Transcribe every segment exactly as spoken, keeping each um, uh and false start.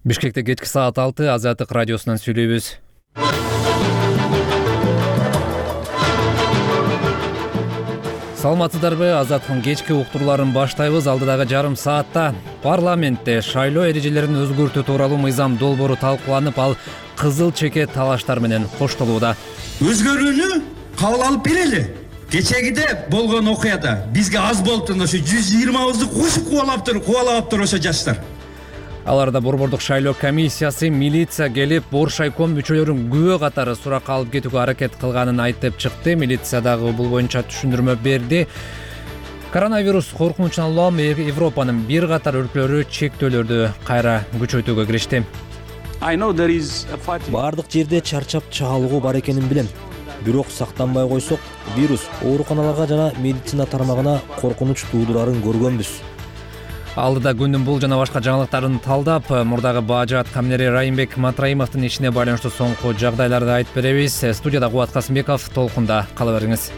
Бишкекте кечки саат алты Азаттык радиосунан сүйлөйбүз. Саламатсыздарбы? Азаттыктын кечки уктурларын баштайбыз. Алдыдагы жарым саатта парламентте шайлоо эрежелерин өзгөртүү тууралуу мыйзам долбоору талкууланып, ал кызыл чеке талаштар менен коштолууда. Өзгөрүүнү кабыл алып берели. Кечегиде болгон окуяда бизге аз болуптун ошо жүз жыйырмабызды кошуп кубалаптыр, кубалаптыр ошо жаштар. Аларда Борбордук шайлоо комиссиясы, милиция келип, Боршайком мүчөлөрүн күбө катары суракка алып кетүүгө аракет кылганын айтып чыкты. Милиция дагы бул боюнча түшүндүрмө берди. Коронавирус коркунучунан улам Европанын бир катар өлкөлөрү чектөөлөрдү кайра күчөйтүүгө киришти. Бардык жерде чарчап чаалыгуу бар экенин билем. Бирок сактанбай койсок, вирус ооруканаларга жана медицина тармагына коркунуч туудурарын көргөнбүз. Алдыда күндүн бул жана башка жаңылыктарын талдап, мурдагы баажат камнери Райымбек Матраимовдун ишине байланыштуу соңку жагдайларды айтып беребиз. Студияда Кубат Касымбеков, толкунда кала бериңиз.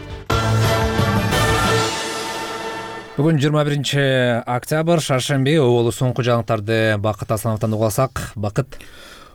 Бүгүн жыйырма биринчи октябрь, шаршемби. Оолу соңку жаңылыктарды Бакыт Асановдон угуп алсак. Бакыт.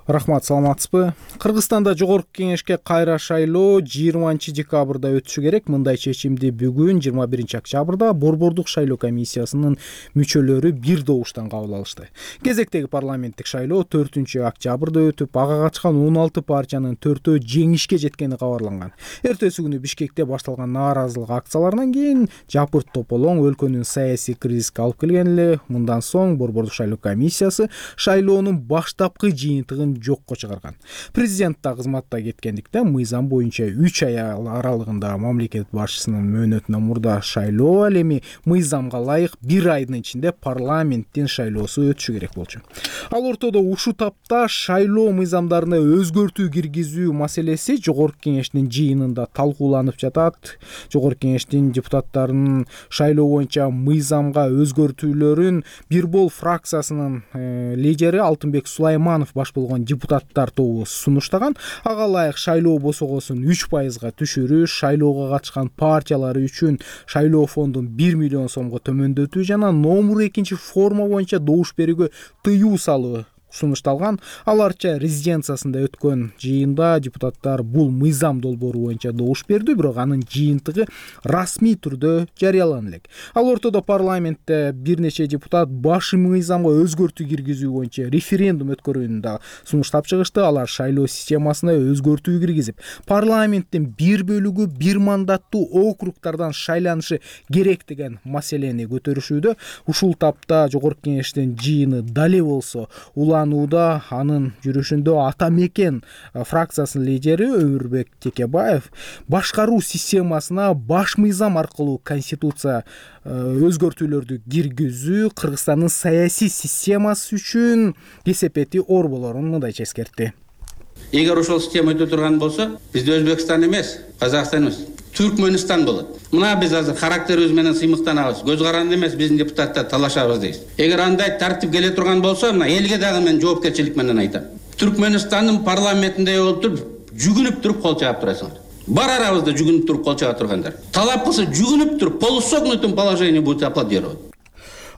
Рахмат, саламатсызбы? Кыргызстанда жогорку кеңешке кайра шайлоо жыйырманчы декабрда өтүшү керек. Мындай чечимди бүгүн жыйырма биринчи октябрда Борбордук шайлоо комиссиясынын мүчөлөрү бир добуштан кабыл алышты. Кезектеги парламенттик шайлоо төртүнчү октябрда өтүп, ага катышкан он алты партиянын төртөө жеңишке жеткени кабарланган. Эртеси күнү Бишкекте башталган нааразылык акцияларынан кийин жапырт тополоң өлкөнүн саясий кризиске алып келген эле. Мындан соң Борбордук шайлоо комиссиясы шайлоонун баштапкы жыйынтыгын жокко чыгарган. Президент да кызматта кеткендиктен мыйзам боюнча үч ай аралыгында мамлекет башчысынын мөөнөтүнөн мурда шайлоо ал эми мыйзамга ылайык бир айдын ичинде парламенттин шайлоосу өтүшү керек болчу. Ал ортодо ушул тапта шайлоо мыйзамдарына өзгөртүү киргизүү маселеси жогорку кеңештин жыйынында талкууланып жатат. Жогорку кеңештин депутаттарынын шайлоо боюнча мыйзамга өзгөртүүлөрүн Бирбол фракциясынын э, лидери Алтынбек Сулайманов баш болгон депутаттар тобу сунуштаган. Ага ылайык шайлоо босогосун үч пайызга түшүрүү, шайлоого катышкан партиялары үчүн шайлоо фондун бир миллион сомго төмөндөтүү жана номер экинчи форма боюнча добуш берүүгө тыюу салуу сунушталган. Аларча резиденциясында өткөн жыйында депутаттар бул мыйзам долбоору боюнча добуш берди, бирок анын жыйынтыгы расмий түрдө жарыялана элек. Ал ортодо парламентте бир нече депутат баш мыйзамга өзгөртүү киргизүү боюнча референдум өткөрүүнү да сунуштап чыгышты. Алар шайлоо системасына өзгөртүү киргизип, парламенттин бир бөлүгү бир мандаттуу округтардан шайланышы керек деген маселени көтөрүшүүдө. Ушул тапта жогорку кеңештин жыйыны дале болсо улам анын жүрүшүндө Ата Мекен фракциясынын лидери Өмүрбек Текебаев башкаруу системасына баш мыйзам аркылуу конституция өзгөртүүлөрдү киргизүү Кыргызстандын саясий системасы үчүн кесепети оор болорун мындайча эскертти. Эгер ошол система өтө турган болсо, бизде Өзбекстан эмес, Казакстан эмес, Түркмөнстан болот. Мына биз азыр характерибиз менен сыймыктанабыз. Көз каранды эмес биздин депутаттар талашабыз дейбиз. Эгер андай тартип келе турган болсо, мына элге дагы мен жоопкерчилик менен айтам. Түркмөнстандын парламентинде болуп, жүгүнүп туруп кол чаап турасыңар. Бар арабызда жүгүнүп туруп кол чаап тургандар. Талап кылса жүгүнүп туруп, полусогнутым положение будет аплодировать.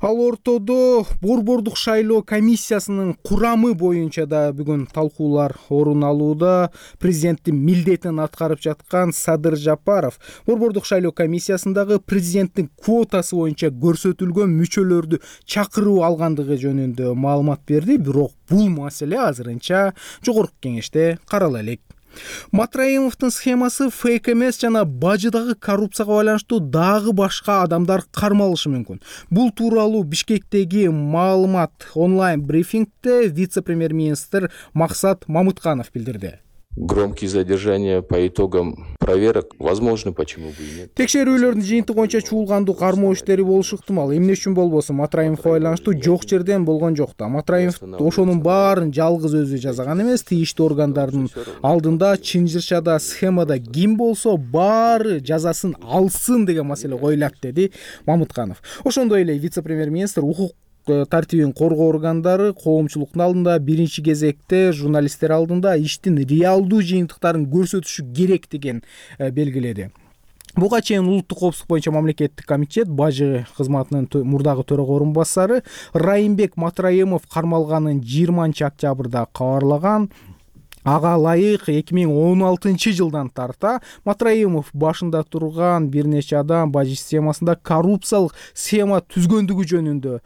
Ал ортодо Борбордук шайлоо комиссиясынын курамы боюнча да бүгүн талкуулар орун алууда. Президенттин милдетин аткарып жаткан Садыр Жапаров Борбордук шайлоо комиссиясындагы президенттин квотасы боюнча көрсөтүлгөн мүчөлөрдү чакыруу алгандыгы жөнүндө маалымат берди, бирок бул маселе азырынча жогорку кеңеште карала элек. Матраимовдун схемасы фейк эмес жана бажыдагы коррупцияга байланыштуу дагы башка адамдар кармалышы мүмкүн. Бул тууралуу Бишкектеги маалымат онлайн брифингде вице-премьер-министр Максат Мамытканов билдирди. Громкие задержания по итогам проверок возможно, почему бы и нет. Текшерүүлөрдүн жыйынтыгы боюнча чуулгандуу кармоо иштери болушу ыктымал. Эмне үчүн болбосун? Матраимовго байланыштуу жок жерден болгон жок да. Матраимов ошонун баарын жалгыз өзү жасаган эмес. Тийиштүү органдардын алдында чынжырчада, схемада ким болсо баары жазасын алсын деген маселе коюлат, деди Мамытканов. Ошондой эле вице-премьер-министр укук тартибин коргоо органдары коомчулуктун алдында биринчи кезекте журналисттер алдында иштин реалдуу жыйынтыктарын көрсөтүшү керек деген белгиледи. Буга чейин улуттук коопсуздук боюнча мамлекеттик комитет бажы кызматынын мурдагы төрага орун басары Райымбек Матраимов кармалганын жыйырманчы октябрда кабарлаган. Ага ылайык эки миң он алтынчы жылдан тарта Матраимов башында турган бир нече адам бажы системасында коррупциялык схема түзгөндүгү жөнүндө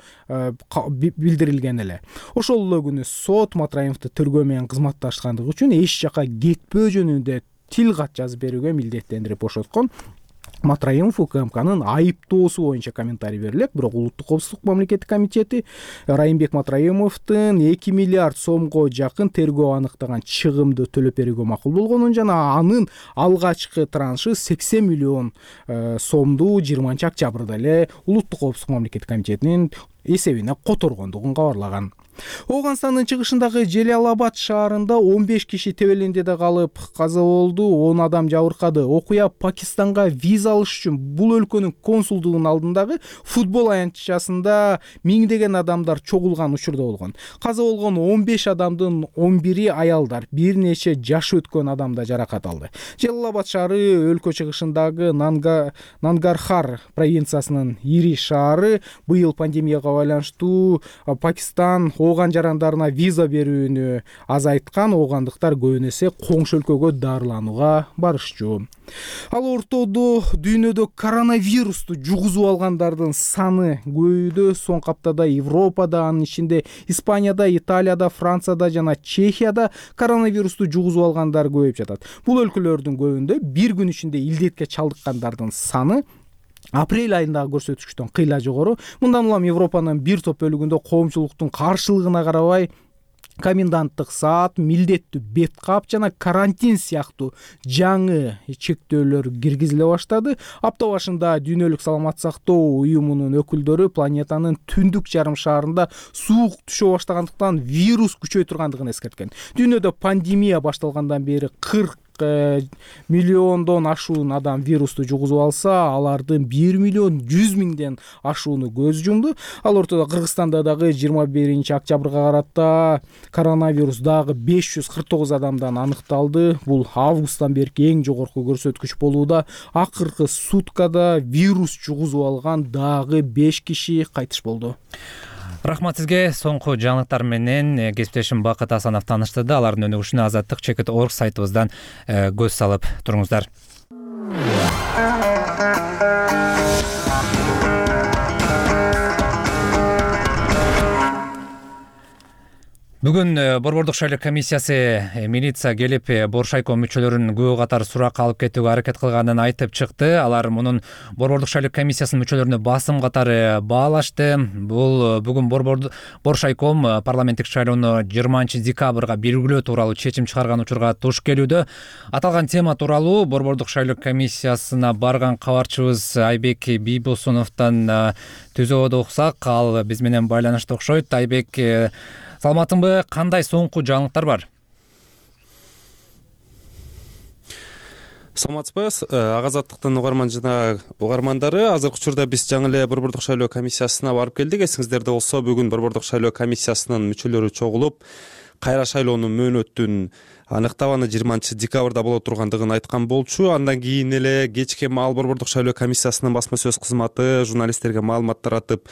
билдирилген эле. Ошол эле күнү сот Матраимовду тергөө менен кызматташкандыгы үчүн эч жака кетпөө жөнүндө тил кат жазып берүүгө милдеттендирип бошоткон. Матраимов УКМКнын айыптоосу боюнча комментарий берилет, бирок улуттук коопсуздук мамлекеттик комитети Райымбек Матраимовдун эки миллиард сомго жакын тергөө аныктаган чыгымды төлөп берүүгө макул болгонун жана анын алгачкы траншы сексен миллион сомду жыйырманчы октябрда эле улуттук коопсуздук мамлекеттик комитетинин эсебине которгондугун кабарлаган. Ооганстандын чыгышындагы Желалабад шаарында он беш киши тебелендеде калып каза болду, он адам жабыркады. Окуя Пакистанга виза алыш үчүн бул өлкөнүн консулдугунун алдындагы футбол аянтчасында миңдеген адамдар чогулган учурда болгон. Каза болгон он беш адамдын он бири аялдар, бир нече жашы өткөн адам да жаракат алды. Желалабад шаары өлкө чыгышындагы Нанга Нангархар провинциясынын ири шаары. Быйыл пандемияга байланыштуу Пакистан ооган жарандарына виза берүүнү азайткан, оогандыктар көбүн эсе коңшу өлкөгө дарыланууга барышчу. Ал ортодо дүйнөдө коронавирусту жугузуп алгандардын саны көбөйүүдө. Соңку аптада Европада, анын ичинде Испанияда, Италияда, Францияда жана Чехияда коронавирусту жугузуп алгандар көбөйүп жатат. Бул өлкөлөрдүн көбүндө бир күн ичинде илдетке чалдыккандардын саны апрель айындагы көрсөткүчтөн кыйла жогору. Мындан улам Европанын бир топ бөлүгүндө коомчулуктун каршылыгына карабай коменданттык саат, милдеттүү бет кап жана карантин сыяктуу жаңы чектөөлөр киргизиле баштады. Апта башында Дүйнөлүк саламаттык сактоо уюмунун өкүлдөрү планетанын түндүк жарым шарында суук түшө баштагандыктан вирус күчөй тургандыгын эскерткен. Дүйнөдө пандемия башталгандан бери кырк миллиондон ашуун адам вирусту жугузуп алса, алардын бир миллион жүз миңден ашууну көз жумду. Ал ортодо Кыргызстанда дагы жыйырма биринчи октябрга карата коронавирус дагы беш жүз кырк тогуз адамдан аныкталды. Бул августтан берки эң жогорку көрсөткүч болууда. Акыркы суткада вирус жугузуп алган дагы беш киши кайтыш болду. Рахмат сизге. Соңку жаңылыктар менен кесиптешим Бакыт Асанов тааныштырды. Алардын өнүгүшүнө азаттык чекит точка орг сайтыбыздан көз салып туруңуздар. Бүгүн Борбордук шайлоо комиссиясы милиция келип Боршайком мүчөлөрүн күбө катары суракка алып кетүүгө аракет кылганын айтып чыкты. Алар мунун Борбордук шайлоо комиссиясынын мүчөлөрүнө басым катары баалашты. Бул бүгүн Боршайком парламенттик шайлоону жыйырманчы декабрга белгилөө тууралуу чечим чыгарган учурга туш келүүдө. Аталган тема тууралуу Борбордук шайлоо комиссиясына барган кабарчыбыз Айбек Бийбосуновдон түзүүгө уксак, ал биз менен байланышта окшойт. Айбек, саламатсыңбы? Кандай соңку жаңылыктар бар? Саламатсызбы? Агазаттыктын угарман жана угармандары, азыркы учурда биз жаңы эле Борбордук шайлоо комиссиясына барып келдик. Эсиңиздерде болсо, бүгүн Борбордук шайлоо комиссиясынын мүчөлөрү чогулуп, кайра шайлоонун мөөнөтүн аныктап, аны жыйырманчы декабрда боло тургандыгын айткан болчу. Андан кийин эле кечке маал Борбордук шайлоо комиссиясынын басма сөз кызматы журналисттерге маалымат таратып,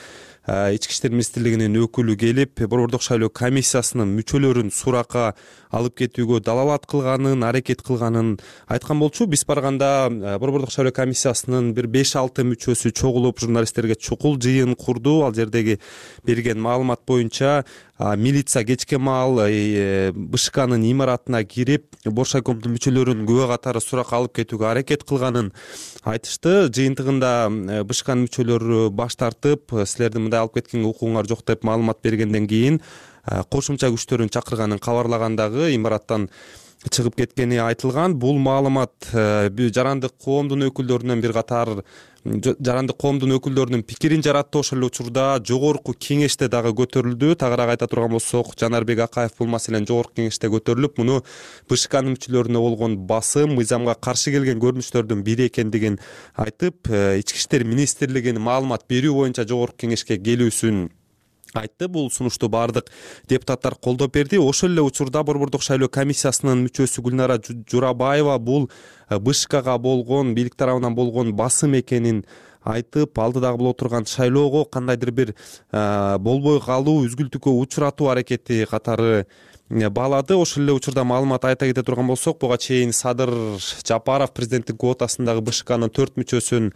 Ички иштер министрлигинин өкүлү келип, Борбордук шайлоо комиссиясынын мүчөлөрүн суракка алып кетүүгө далалат кылганын, аракет кылганын айткан болчу. Биз барганда Борбордук шайлоо комиссиясынын бир беш алты мүчөсү чогулуп, журналисттерге чукул жыйын курду. Ал жердеги берген маалымат боюнча милиция кечке маал БШКнын имаратына кирип, Боршайкомдун мүчөлөрүн күбө катары суракка алып кетүүгө аракет кылганын айтышты. Жыйынтыгында БШКнын мүчөлөрү баш тартып, силердин мындай алып кеткенге укугуңар жок деп маалымат бергенден кийин кошумча күчтөрүн чакырганын кабарлагандагы имараттан чыгып кеткени айтылган. Бул маалымат жарандык коомдун өкүлдөрүнөн бир катар жарандык коомдун өкүлдөрүнүн пикирин жаратты. Ошол эле учурда жогорку кеңеште дагы көтөрүлдү. Тагыраак айта турган болсок, Жанарбек Акаев бул маселени жогорку кеңеште көтөрүлүп, муну БШКнын мүчөлөрүнө болгон басым, мыйзамга каршы келген көрүнүштөрдүн бири экендигин айтып, Ички иштер министрлигинин маалымат берүү боюнча жогорку кеңешке келүүсүн айтты. Бул сунушту баардык депутаттар колдоп берди. Ошол эле учурда Борбордук шайлоо комиссиясынын мүчөсү Гүлнара Журабаева бул БШКга болгон, бийлик тарабынан болгон басым экенин айтып, алдыдагы боло турган шайлоого кандайдыр бир болбой калуу, үзгүлтүккө учуратуу аракети катары баалады. Ошол эле учурда маалымат айта кете турган болсок, буга чейин Садыр Жапаров президенттик квотасындагы БШКнын төрт мүчөсүн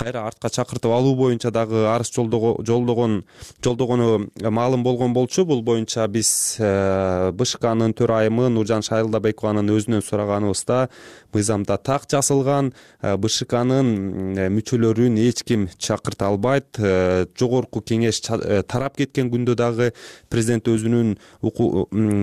кайра артка чакыртып алуу боюнча дагы арыз жолдогон жолдогону маалым болгон болчу. Бул боюнча биз БШКнын төрайымы Нуржан Шайлдабекованын өзүнөн сураганыбызда мыйзамда так жазылган, БШКнын мүчөлөрүн эч ким чакырта албайт. Жогорку кеңеш тарап кеткен күндө дагы президент өзүнүн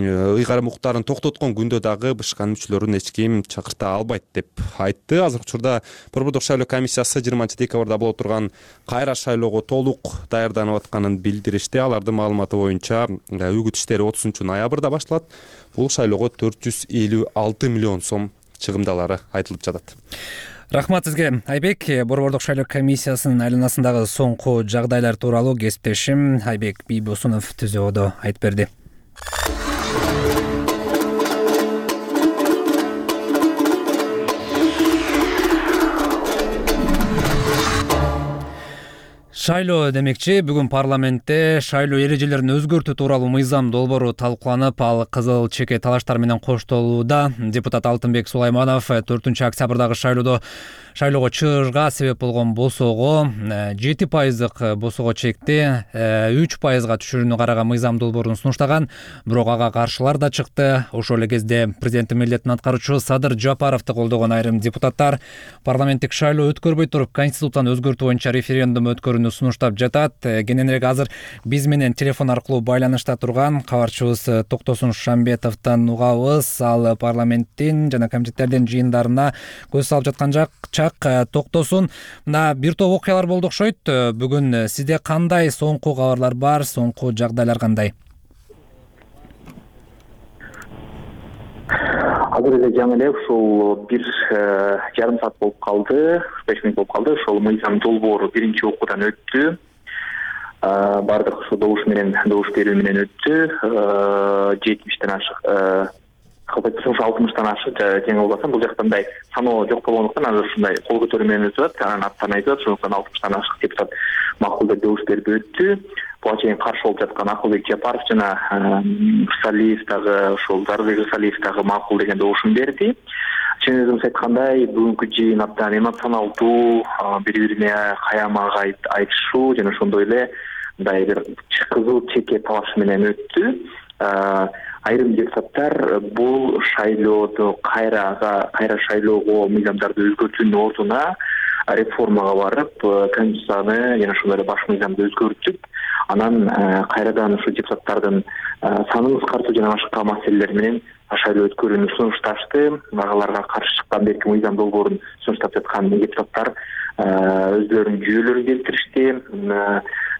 ыйгарым укуктарын токтоткон күндө дагы БШКнын мүчөлөрүн эч ким чакырта албайт деп айтты. Азыркы учурда Борбордук шайлоо комиссиясы жыйырманчы декабрда боло турган кайра шайлоого толук даярданып атканын билдиришти. Алардын маалыматы боюнча үгүт иштери отузунчу ноябрда башталат. Бул шайлоого төрт жүз элүү алты миллион сом чыгымдалары айтылып жатат. Рахмат сизге, Айбек. Борбордук шайлоо комиссиясынын айланасындагы соңку жагдайлар тууралуу кесиптешим Айбек Бийбосунов түзөөдө айтып берди. Шайлоо демекчи, бүгүн парламентте шайлоо эрежелерин өзгөртүү тууралуу мыйзам долбоору талкууланып, ал кызыл чеке талаштар менен коштолууда. Депутат Алтынбек Сулайманов төртүнчү октябрдагы шайлоодо шайлоого чыгышка себеп болгон босоого жети пайыздык босоого чекти үч пайызга түшүрүүнү караган мыйзам долбоорун сунуштаган, бирок ага каршылар да чыкты. Ошол эле кезде президенттин милдетин аткаруучу Садыр Жапаровду колдогон айрым депутаттар парламенттик шайлоо өткөрбөй туруп конституцияны өзгөртүү боюнча референдум өткөрүүнү сунуштап жатат. Кененирээк азыр биз менен телефон аркылуу байланышта турган кабарчыбыз Токтосун Шамбетовдон угабыз. Ал парламенттин жана комитеттердин жыйындарына көз салып жаткан жак. Токтосун, мына бир топ окуялар болду окшойт. Бүгүн сизде кандай соңку кабарлар бар, соңку жагдайлар кандай? Азыр эле жаңы эле ушул бир жарым саат болуп калды, беш мүнөт болуп калды. Ошол мыйзам долбоору биринчи окуудан өттү. Бардык ошо добуш менен, добуш берүү менен өттү. жетимиштен ашык, алтымыштан ашык тең болбосо, бул жакта мындай саноо жок болгондуктан азыр ушундай кол көтөрүү менен өтүп атат. Анан аттан айтып атат, ошондуктан алтымыштан ашык депутат макул деп добуш берип өттү. Буга чейин каршы болуп жаткан Акылбек Жапаров жана Рсалиев дагы, ошол Зарылбек Рсалиев дагы макул деген добушун берди. Чын өзүңүз айткандай, бүгүнкү жыйын абдан эмоционалдуу, бири-бирине каямага айтышуу жана ошондой эле мындай бир кызыл чеке талашы менен өттү. Айрым депутаттар бул шайлоодо кайрага кайра шайлоого мыйзамдарды өзгөртүүнүн ордуна реформага барып, конституцияны жана ошондой эле баш мыйзамды өзгөртүп, анан кайрадан ушу депутаттардын санын кыскартуу жана башка маселелер менен шайлоо өткөрүүнү сунушташты. Агаларга каршы чыккан берки мыйзам долбоорун сунуштап жаткан депутаттар өздөрүнүн жүйөлөрүн келтиришти.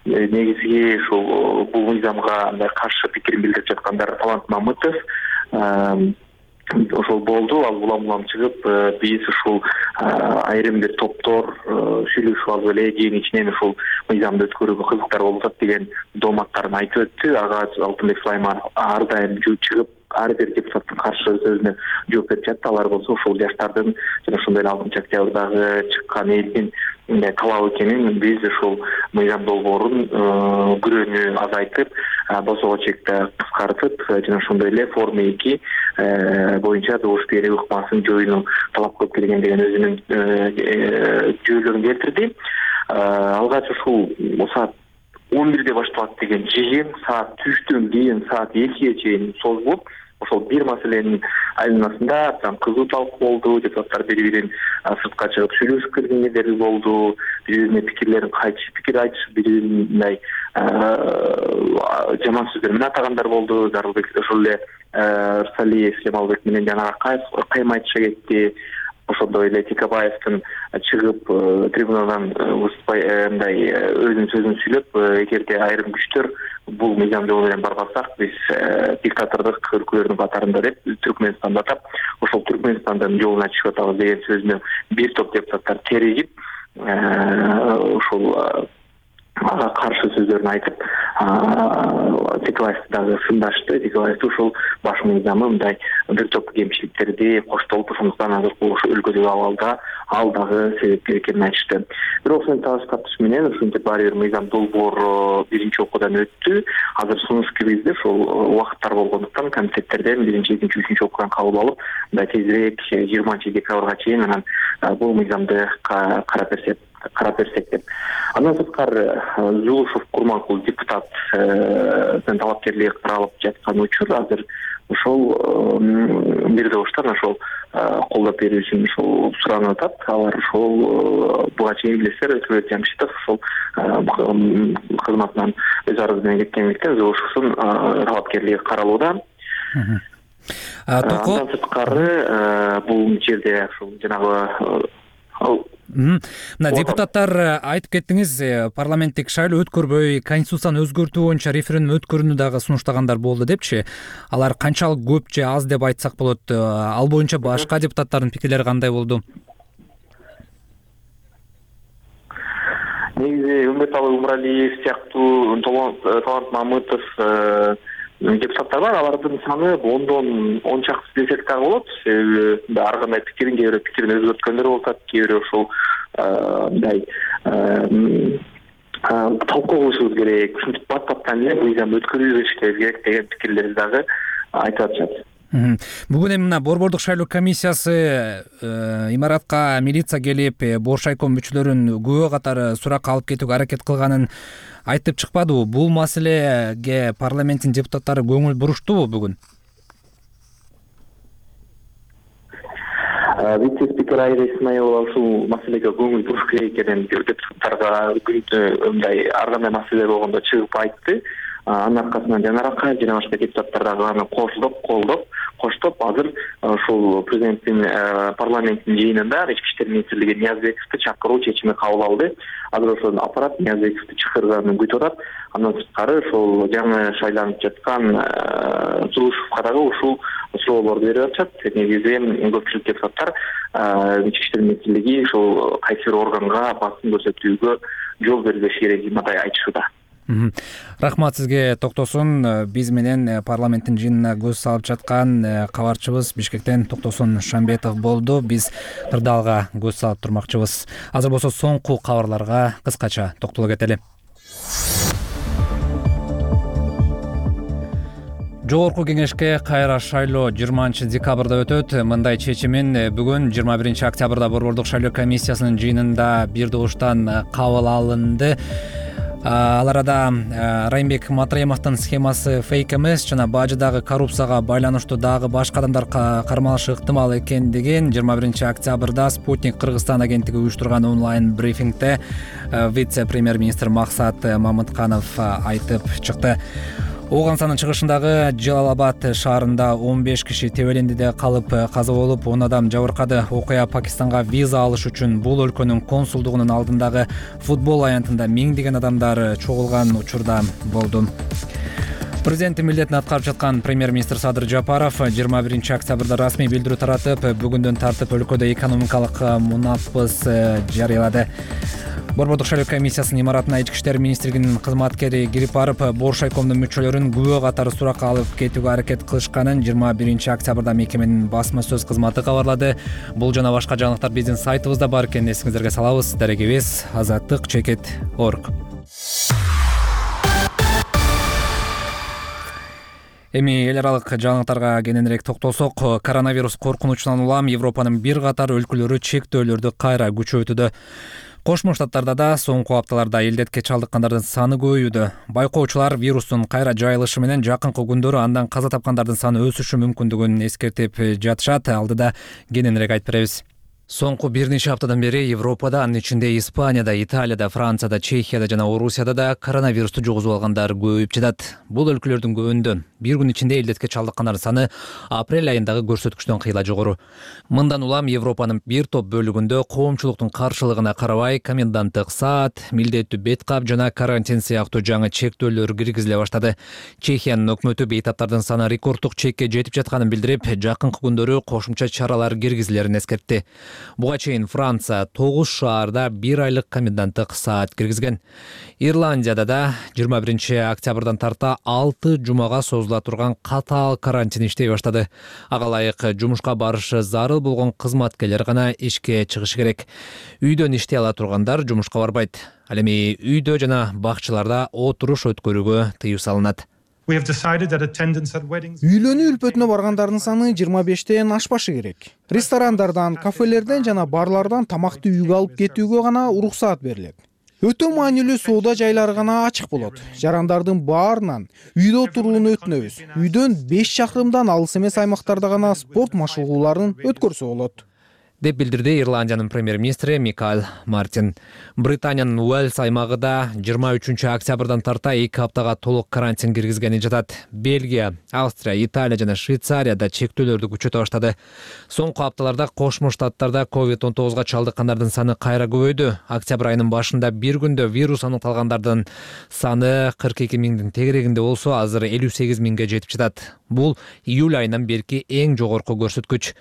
Негизги ушул бул мыйзамга мындай каршы пикирин билдирип жаткандар Талант Мамытов ошол болду. Ал улам улам чыгып, биз ушул айрым бир топтор сүйлөшүп алып эле жыйын ичинен ушул мыйзамды өткөрүүгө кызыктар болуп атат деген дооматтарын айтып өттү. Ага Алтынбек Сулайманов ар дайым чыгып ар бир депутаттын каршы сөзүнө жооп берип жатты. Алар болсо ушул жаштардын жана ошондой эле алтымыш октябрдагы чыккан элдин талабы экенин, биз ушул мыйзам долбоорун күрөөнү азайтып, босоого чекти кыскартып жана ошондой эле форма эки боюнча добуш берүү ыкмасын жоюуну талап кылып келген деген өзүнүн жүйөлөрүн келтирди. Алгач ушул саат он бирде башталат деген жыйын саат түштөн кийин саат экиге чейин созулуп, ошол бир маселенин айланасында абдан кызуу талкуу болду. Депутаттар бири-бирин сыртка чыгып сүйлөшүп келгендери болду. Бири-бирине пикирлерин кайтышып, пикир айтышып, бири-бирин мындай жаман сөздөр менен атагандар болду. Зарылбек ошол эле Рсалиев Жамалбек менен жана кайма айтыша кетти. Ошондой эле Текебаевдин чыгып трибунадан мындай өзүнүн сөзүн сүйлөп, эгерде айрым күчтөр бул мыйзам жолу менен барбасак, биз диктатордук өлкөлөрдүн катарында деп Түркмөнстанды атап, ошол Түркмөнстандын жолуна чыгып атабыз деген сөзүнө бир топ депутаттар теригип, ошол ага каршы сөздөрүн айтып Текебаевди дагы сындашты. Текебаев ушул баш мыйзамы мындай бир топ кемчиликтерди коштолуп, ошондуктан азыркы ошо өлкөдөгү абалда ал дагы себепкер экенин айтышты. Бирок ошентип талаш тартыш менен ушинтип баары бир мыйзам долбоор биринчи окуудан өттү. Азыр сунуш киргизди. Ошол убакыттар болгондуктан комитеттерден биринчи, экинчи, үчүнчү окуудан кабыл алып, мындай тезирээк жыйырманчы декабрга чейин анан бул мыйзамды карап берсек карап берсек деп. Андан сырткары Жулушев Курманкул депутаттын талапкерлиги каралып жаткан учур азыр ошол бир добуштан ошол колдоп берүү үчүн ошол суранып атат. Алар ошол буга чейин билесиздер, Өтөбек Жамшитов ошол кызматынан өз арызы менен кеткендиктен Жулушевдун талапкерлиги каралууда. Андан сырткары бул жерде ошол жанагы мына депутаттар айтып кеттиңиз, парламенттик шайлоо өткөрбөй, конституцияны өзгөртүү боюнча референдум өткөрүүнү дагы сунуштагандар болду депчи. Алар канчалык көп же аз деп айтсак болот? Ал боюнча башка депутаттардын пикирлери кандай болду? Негизи Үмүрталы Умуралиев сыяктуу, Талант Мамытов депутаттар бар. Алардын саны ондон он чакты десек дагы болот. Себеби ар кандай пикирин, кээ бирөө пикирин өзгөрткөндөр болуп атат, кээ бирөө ошол мындай талкуу кылышыбыз керек, ушинтип бат-баттан эле мыйзам өткөрүү керек деген пикирлерди дагы айтып атышат. Бүгүн эми мына Борбордук шайлоо комиссиясы имаратка милиция келип, Боршайком мүчөлөрүн күбө катары суракка алып кетүүгө аракет кылганын айтып чыкпадыбы? Бул маселеге парламенттин депутаттары көңүл буруштубу бүгүн? Вице-спикер Айра Исмаилова ушул маселеге көңүл буруш керек экенин депутаттарга мындай ар кандай маселе болгондо чыгып айтты. Анын аркасынан жанаракка жана башка депутаттар дагы аны кошулуп, колдоп, коштоп, азыр ушул президенттин парламенттин жыйынында ички иштер министрлиги Ниязбековду чакыруу чечими кабыл алды. Азыр ошол аппарат Ниязбековду чакырганын күтүп атат. Андан сырткары ошол жаңы шайланып жаткан Жулушевга дагы ушул суроолорду берип атышат. Негизи көпчүлүк депутаттар ички иштер министрлиги ушул кайсы бир органга басым көрсөтүүгө жол бербеш керек деп мындай айтышууда. Рахмат сизге, Токтосун. Биз менен парламенттин жыйынына көз салып жаткан кабарчыбыз Бишкектен Токтосун Шамбетов болду. Биз кырдаалга көз салып турмакчыбыз. Азыр болсо соңку кабарларга кыскача токтоло кетели. Жогорку кеңешке кайра шайлоо жыйырманчы декабрда өтөт. Мындай чечимин бүгүн жыйырма биринчи октябрда Борбордук шайлоо комиссиясынын жыйынында бир добуштан кабыл алынды. Ал арада Райымбек Матраимовдун схемасы фейк эмес жана бажыдагы коррупцияга байланыштуу дагы башка адамдар кармалышы ыктымал экендигин жыйырма биринчи октябрда Спутник Кыргызстан агенттиги уюштурган онлайн брифингде вице-премьер-министр Максат Мамытканов айтып чыкты. Ооганстанын чыгышындагы Жалалабад шаарында он беш киши Тебелендиде калып каза болуп, он адам жабыркады. Окуя Пакистанга виза алыш үчүн бул өлкөнүн консулдугунун алдындагы футбол аянтында миңдеген адамдар чогулган учурда болду. Президенттин милдетин аткарып жаткан премьер-министр Садыр Жапаров жыйырма биринчи октябрда расмий билдирүү таратып, бүгүндөн тартып өлкөдө экономикалык мунапыс жарыялады. Борбордук шайлоо комиссиясынын имаратына ички иштер министрлигинин кызматкери кирип барып, Боршайкомдун мүчөлөрүн күбө катары суракка алып кетүүгө аракет кылышканын жыйырма биринчи октябрда мекеменин басма сөз кызматы кабарлады. Бул жана башка жаңылыктар биздин сайтыбызда бар экенин эсиңиздерге салабыз. Дарегибиз азаттык чекит орг. Эми эл аралык жаңылыктарга кененирээк токтолсок, коронавирус коркунучунан улам Европанын бир катар өлкөлөрү чектөөлөрдү кайра күчөйтүүдө. Кошмо Штаттарда да соңку апталарда илдетке чалдыккандардын саны көбөйүүдө. Байкоочулар вирустун кайра жайылышы менен жакынкы күндөрү андан каза тапкандардын саны өсүшү мүмкүндүгүн эскертип жатышат. Алдыда кененирээк айтып беребиз. Соңку бир нече аптадан бери Европада, анын ичинде Испанияда, Италияда, Францияда, Чехияда жана Орусияда да коронавирусту жугузуп алгандар көбөйүп жатат. Бул өлкөлөрдүн көбүндө бир күн ичинде илдетке чалдыккандардын саны апрель айындагы көрсөткүчтөн кыйла жогору. Мындан улам Европанын бир топ бөлүгүндө коомчулуктун каршылыгына карабай коменданттык саат, милдеттүү бет кап жана карантин сыяктуу жаңы чектөөлөр киргизиле баштады. Чехиянын өкмөтү бейтаптардын саны рекорддук чекке жетип жатканын билдирип, жакынкы күндөрү кошумча чаралар киргизилерин эскертти. Буга чейин Франция тогуз шаарда бир айлык коменданттык саат киргизген. Ирландияда да жыйырма биринчи октябрдан тарта алты жумага созула турган катаал карантин иштей баштады. Ага ылайык жумушка барышы зарыл болгон кызматкерлер гана ишке чыгышы керек. Үйдөн иштей ала тургандар жумушка барбайт. Ал эми үйдө жана бакчаларда отуруш өткөрүүгө тыюу салынат. Үйлөнүү үлпөтүнө баргандардын саны жыйырма бештен ашпашы керек. Ресторандардан, кафелерден жана барлардан тамакты үйгө алып кетүүгө гана уруксаат берилет. Өтө маанилүү соода жайлары гана ачык болот. Жарандардын баарынан үйдө отурууну өтүнөбүз. Үйдөн беш чакырымдан алыс эмес аймактарда гана спорт машыгууларын өткөрсө болот, деп билдирди Ирландиянын премьер-министри Микаэль Мартин. Британиянын Уэльс аймагы да жыйырма үчүнчү октябрдан тарта эки аптага толук карантин киргизгени жатат. Бельгия, Австрия, Италия жана Швейцарияда чектөөлөрдү күчөтө баштады. Соңку апталарда Кошмо Штаттарда ковид он тогузга чалдыккандардын саны кайра көбөйдү. Октябрь айынын башында бир күндө вирус аныкталгандардын саны кырк эки миңдин тегерегинде болсо, азыр элүү сегиз миңге жетип жатат. Бул июль айынан берки эң жогорку көрсөткүч.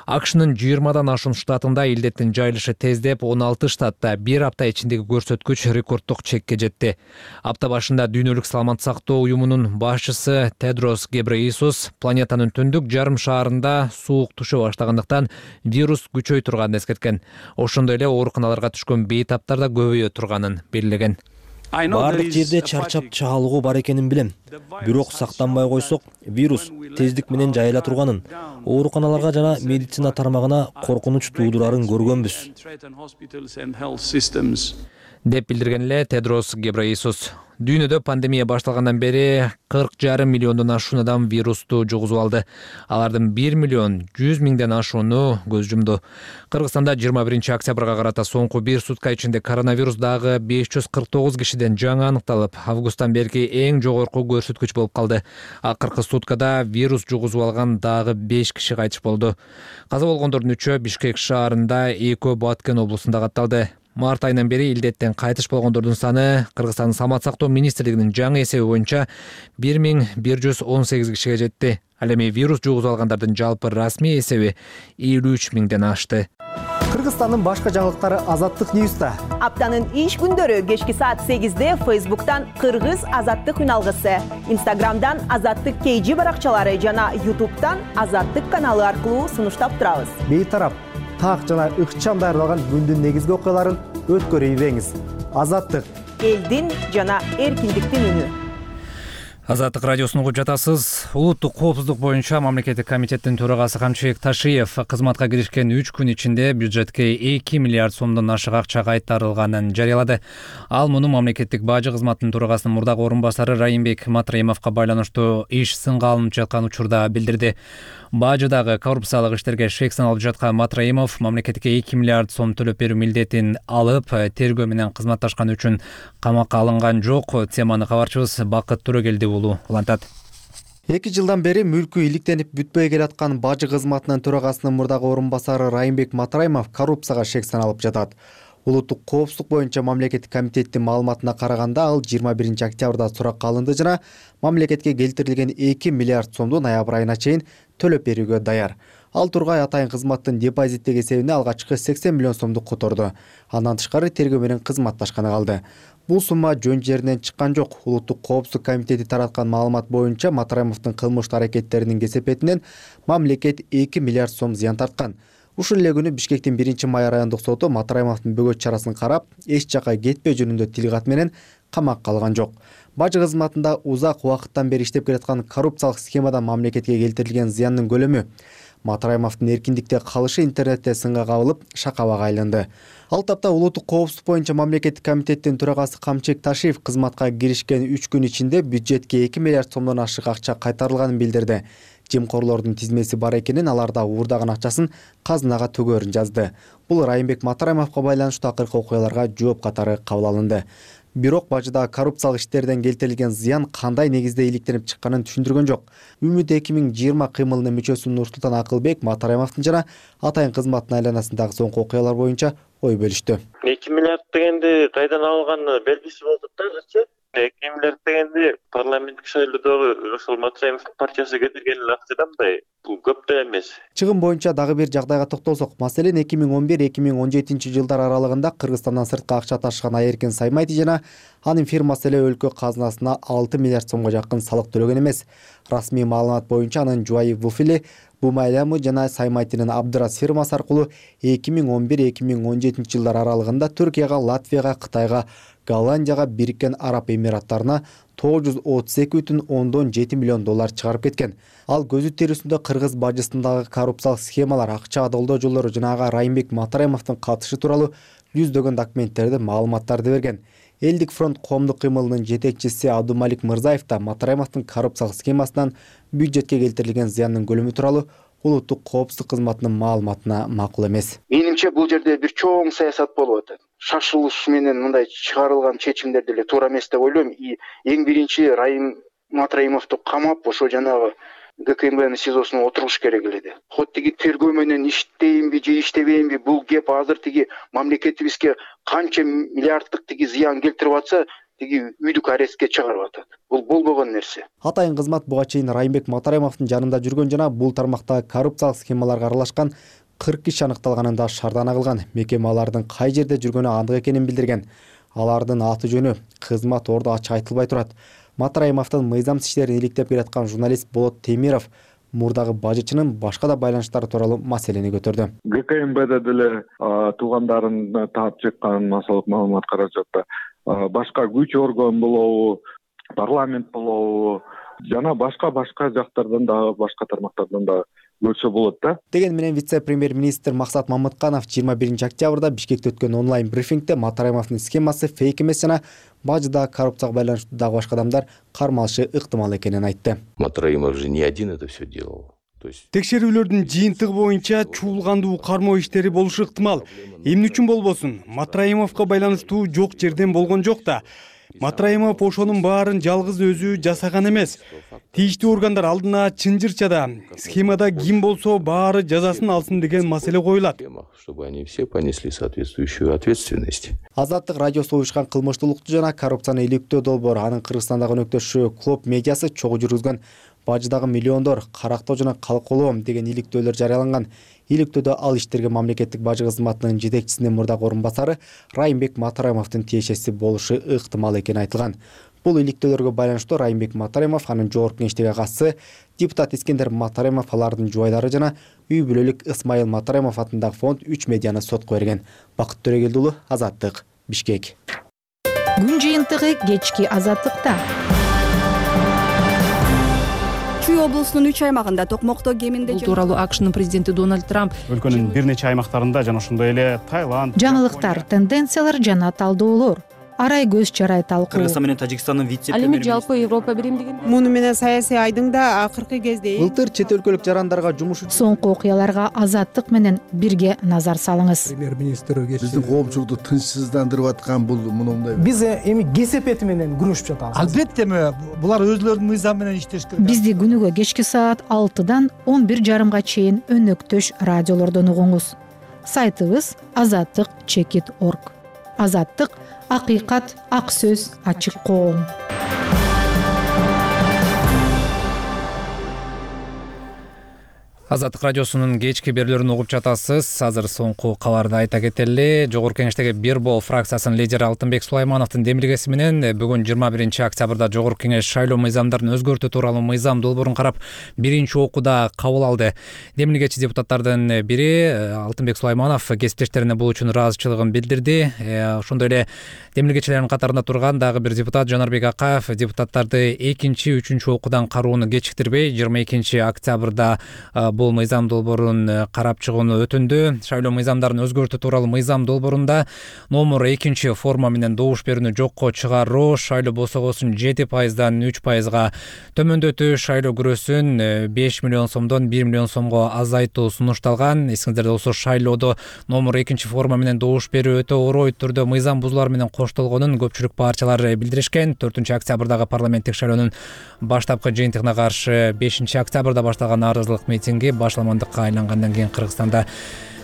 АКШнын жыйырмадан ашуун штатында илдеттин жайылышы тездеп, он алты штатта бир апта ичиндеги көрсөткүч рекорддук чекке жетти. Апта башында Дүйнөлүк саламаттык сактоо уюмунун башчысы Тедрос Гебрейесус планетанын түндүк жарым шаарында суук түшө баштагандыктан вирус күчөй турганын эскерткен. Ошондой эле ооруканаларга түшкөн бейтаптар да көбөйө турганын белгилеген. Бардык жерде чарчап чаалыгуу бар экенин билем. Бирок сактанбай койсок, вирус тездик менен жайыла турганын, ооруканаларга жана медицина тармагына коркунуч туудурарын көргөнбүз, деп билдирген эле Тедрос Гебрейесус. Дүйнөдө пандемия башталгандан бери кырк жарым миллиондон ашуун адам вирусту жугузуп алды. Алардын бир миллион жүз миңден ашууну көз жумду. Кыргызстанда жыйырма биринчи октябрга карата соңку бир сутка ичинде коронавирус дагы беш жүз кырк тогуз кишиден жаңы аныкталып, августтан берки эң жогорку көрсөткүч болуп калды. Акыркы суткада вирус жугузуп алган дагы беш киши кайтыш болду. Каза болгондордун үчөө Бишкек шаарында, экөө Баткен облусунда катталды. Март айынан бери илдеттен кайтыш болгондордун саны Кыргызстандын саламаттык сактоо министрлигинин жаңы эсеби боюнча бир миң бир жүз он сегиз кишиге жетти. Ал эми вирус жугузуп алгандардын жалпы расмий эсеби элүү үч миңден ашты. Кыргызстандын башка жаңылыктары Азаттык Ньюста. Аптанын иш күндөрү кечки саат сегизде Фейсбуктан Кыргыз Азаттык үналгысы, Инстаграмдан Азаттык кей жи баракчалары жана Ютубтан Азаттык каналы аркылуу сунуштап турабыз. Бейтарап, так жана ыкчам даярдалган күндүн негизги окуяларын өткөрүп ийбеңиз. Азаттык, элдин жана эркиндиктин үнү. Азаттык радиосун угуп жатасыз. Улуттук коопсуздук боюнча мамлекеттик комитеттин төрагасы Камчыбек Ташиев кызматка киришкен үч күн ичинде бюджетке эки миллиард сомдон ашык акча кайтарылганын жарыялады. Ал муну мамлекеттик бажы кызматынын төрагасынын мурдагы орун басары Райымбек Матраимовго байланыштуу иш сынга алынып жаткан учурда билдирди. Бажыдагы коррупциялык иштерге шек саналып жаткан Матраимов мамлекетке эки миллиард сом төлөп берүү милдетин алып, тергөө менен кызматташкан үчүн камакка алынган жок. Теманы кабарчыбыз Бакыт Төрөгелди уулу улантат. эки жылдан бери мүлкү иликтенип бүтпөй келаткан бажы кызматынын төрагасынын мурдагы орун басары Райымбек Матраимов коррупцияга шек саналып жатат. Улуттук коопсуздук боюнча мамлекеттик комитеттин маалыматына караганда, ал жыйырма биринчи октябрда суракка алынды жана мамлекетке келтирилген эки миллиард сомду ноябрь айына чейин төлөп берүүгө даяр. Ал тургай атайын кызматтын депозиттеги эсебине алгачкы сексен миллион сомду которду. Андан тышкары тергөө менен кызматташканы калды. Бул сумма жөн жеринен чыккан жок. Улуттук коопсуздук комитети тараткан маалымат боюнча Матраимовдун кылмыштуу аракеттеринин кесепетинен мамлекет эки миллиард сом зыян тарткан. Ушул эле күнү Бишкектин биринчи май райондук соту Матраимовдун бөгөт чарасын карап, эч жакка кетпөө жөнүндө тилгат менен камакка алган жок. Бажы кызматында узак убакыттан бери иштеп келаткан коррупциялык схемадан мамлекетке келтирилген зыяндын көлөмү, Матраимовдун эркиндикте калышы интернетте сынга кабылып, шакабага айланды. Ал тапта улуттук коопсуздук боюнча мамлекеттик комитеттин төрагасы Камчыбек Ташиев кызматка киришкен үч күн ичинде бюджетке эки миллиард сомдон ашык акча кайтарылганын билдирди. Жемкорлордун тизмеси бар экенин, аларда уурдаган акчасын казынага төгөрүн жазды. Бул Райымбек Матраимовго байланыштуу акыркы окуяларга жооп катары кабыл алынды. Бирок бажыда коррупциялык иштерден келтирилген зыян кандай негизде иликтенип чыкканын түшүндүргөн жок. Үмүт эки миң жыйырма кыймылынын мүчөсү Нурсултан Акылбек Матраимовдун жана атайын кызматтын айланасындагы соңку окуялар боюнча ой бөлүштү. эки миллиард дегенди кайдан алганы белгисиз болуп атат азырчы. эки миллиард дегенди парламенттик шайлоодогу ошол Матраимовдун партиясы кетирген эле акча да мындай, бул көп да эмес. Чыгым боюнча дагы бир жагдайга токтолсок, маселен эки миң он бир эки миң он жетинчи жылдар аралыгында Кыргызстандан сыртка акча ташыган Айеркен Саймайти жана анын фирмасы эле өлкө казынасына алты миллиард сомго жакын салык төлөгөн эмес. Расмий маалымат боюнча анын жубайы Вуфили Бумайлямы жана Саймайтинин Абдырас фирмасы аркылуу эки миң он бир эки миң он жетинчи жылдар аралыгында Түркияга, Латвияга, Кытайга, Голландияга, Бириккен Араб Эмираттарына тогуз жүз отуз эки бүтүн ондон жети миллион доллар чыгарып кеткен. Ал көзү тирүүсүндө кыргыз бажысындагы коррупциялык схемалар, акча долдоо жолдору жана ага Райымбек Матраимовдун катышы тууралуу жүздөгөн документтерди, маалыматтарды берген. Элдик фронт коомдук кыймылынын жетекчиси Абдумалик Мырзаев да Матраимовдун коррупциялык схемасынан бюджетке келтирилген зыяндын көлөмү тууралуу улуттук коопсуздук кызматынын маалыматына макул эмес. Менимче бул жерде бир чоң саясат болуп атат. Шашылыш менен мындай чыгарылган чечимдер деле туура эмес деп ойлойм. Эң биринчи Райым Матраимовду камап, ошо жанагы ГКМБнын СИЗОсуна отургуш керек эле. Хот тиги тергөө менен иштейинби же иштебейинби, бул кеп азыр тиги мамлекетибизге канча миллиарддык тиги зыян келтирип атса, тиги үйдүк арестке чыгарып атат. Бул болбогон нерсе. Атайын кызмат буга чейин Райымбек Матраимовдун жанында жүргөн жана бул тармактагы коррупциялык схемаларга аралашкан кырк киши аныкталганын да шардана кылган. Мекеме алардын кай жерде жүргөнү андык экенин билдирген. Алардын аты жөнү, кызмат орду ачык айтылбай турат. Матраимовдун мыйзамсыз иштерин иликтеп келаткан журналист Болот Темиров мурдагы бажычынын башка да байланыштары тууралуу маселени көтөрдү. ГКМБде деле туугандарын таап чыккан массалык маалымат каражатта башка күч орган болобу, парламент болобу жана башка башка жактардан дагы башка тармактардан да көрсө болот да. Деген менен вице-премьер-министр Максат Мамытканов жыйырма биринчи октябрда Бишкекте өткөн онлайн брифингде Матраимовдун схемасы фейк эмес жана бажыдагы коррупцияга байланыштуу дагы башка адамдар кармалышы ыктымал экенин айтты. Матраимов же не один это все делал. Текшерүүлөрдүн жыйынтыгы боюнча чуулгандуу кармоо иштери болушу ыктымал. Эмне үчүн болбосун? Матраимовго байланыштуу жок жерден болгон жок да. Матраимов ошонун баарын жалгыз өзү жасаган эмес. Тийиштүү органдар алдына чынжырчада схемада ким болсо баары жазасын алсын деген маселе коюлат. Чтобы они все понесли соответствующую ответственность. Азаттык радиосу уюшкан кылмыштуулукту жана коррупцияны иликтөө долбоору анын Кыргызстандагы өнөктөшү Клуб медиасы чогуу жүргүзгөн бажыдагы миллиондор карактоо жана калколоом деген иликтөөлөр жарыяланган. Иликтөөдө ал иштерге мамлекеттик бажы кызматынын жетекчисинин мурдагы орун басары Райымбек Матраимовдун тиешеси болушу ыктымал экени айтылган. Бул иликтөөлөргө байланыштуу Райымбек Матраимов, анын жогорку кеңештеги агасы депутат Искендер Матраимов, алардын жубайлары жана үй бүлөлүк Ысмайыл Матраимов атындагы фонд үч медианы сотко берген. Бакыт Төрөгелди уулу, Азаттык, Бишкек. Күн жыйынтыгы кечки Азаттыкта. Чүй облусунун үч аймагында токмокто кеминде бул тууралуу АКШнын президенти Дональд Трамп өлкөнүн бир нече аймактарында жана ошондой эле Таиланд, жаңылыктар, тенденциялар жана талдоолор, арай көз чарай талкуу. Кыргызстан менен Тажикстандын вице-премьери. Ал эми жалпы Европа биримдигинде муну менен саясий айдың да акыркы кезде былтыр чет өлкөлүк жарандарга жумуш үчүн соңку окуяларга Азаттык менен бирге назар салыңыз. Премьер-министр биздин коомчулукту тынчсыздандырып аткан бул мындай. Биз эми кесепети менен күрөшүп жатабыз. Албетте булар өзлөрүнүн мыйзамы менен иштеш керек. Бизди күнүгө кечки саат алтыдан он бир жарымга чейин өнөктөш радиолордон угуңуз. Сайтыбыз азаттык чекит точка орг. Азаттык — акыйкат, ак сөз, ачык коом. Азаттык радиосунун кечки берүүлөрүн угуп жатасыз. Азыр соңку кабарды айта кетели. Жогорку кеңештеги бир бол фракциясынын лидери Алтынбек Сулаймановдун демилгеси менен бүгүн жыйырма биринчи октябрда Жогорку кеңеш шайлоо мыйзамдарын өзгөртүү тууралуу мыйзам долбоорун карап биринчи окууда кабыл алды. Демилгечи депутаттардын бири Алтынбек Сулайманов кесиптештерине бул үчүн ыраазычылыгын билдирди. Ошондой эле демилгечилердин катарында турган дагы бир депутат Жанарбек Акаев депутаттарды экинчи, үчүнчү окуудан кароону кечиктирбей жыйырма экинчи октябрда бул мыйзам долбоорун карап чыгууну өтүндү. Шайлоо мыйзамдарын өзгөртүү тууралуу мыйзам долбоорунда номер экинчи форма менен добуш берүүнү жокко чыгаруу, шайлоо босогосун жети пайыздан үч пайызга төмөндөтүү, шайлоо күрөсүн беш миллион сомдон бир миллион сомго азайтуу сунушталган. Эсиңиздерде болсо шайлоодо номер экинчи форма менен добуш берүү өтө орой түрдө мыйзам бузуулар менен коштолгонун көпчүлүк барчалар билдиришкен. төртүнчү октябрдагы парламенттик шайлоонун баштапкы жыйынтыгына каршы бешинчи октябрда башталган нааразылык митинги башаламандыкка айлангандан кийин Кыргызстанда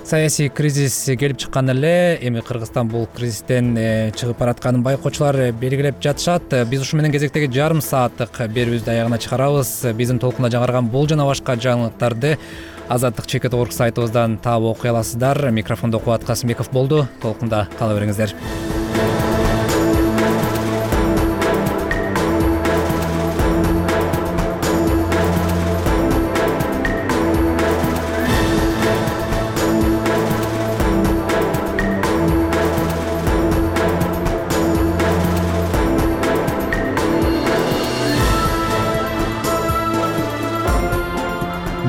саясий кризис келип чыккан эле, эми Кыргызстан бул кризистен чыгып баратканын байкоочулар белгилеп жатышат. Биз ушу менен кезектеги жарым сааттык берүүбүздү аягына чыгарабыз. Биздин толкунда жаңырган бул жана башка жаңылыктарды азаттык чекит орг сайтыбыздан таап окуй аласыздар. Микрофондо Кубат Касымбеков болду. Толкунда кала бериңиздер.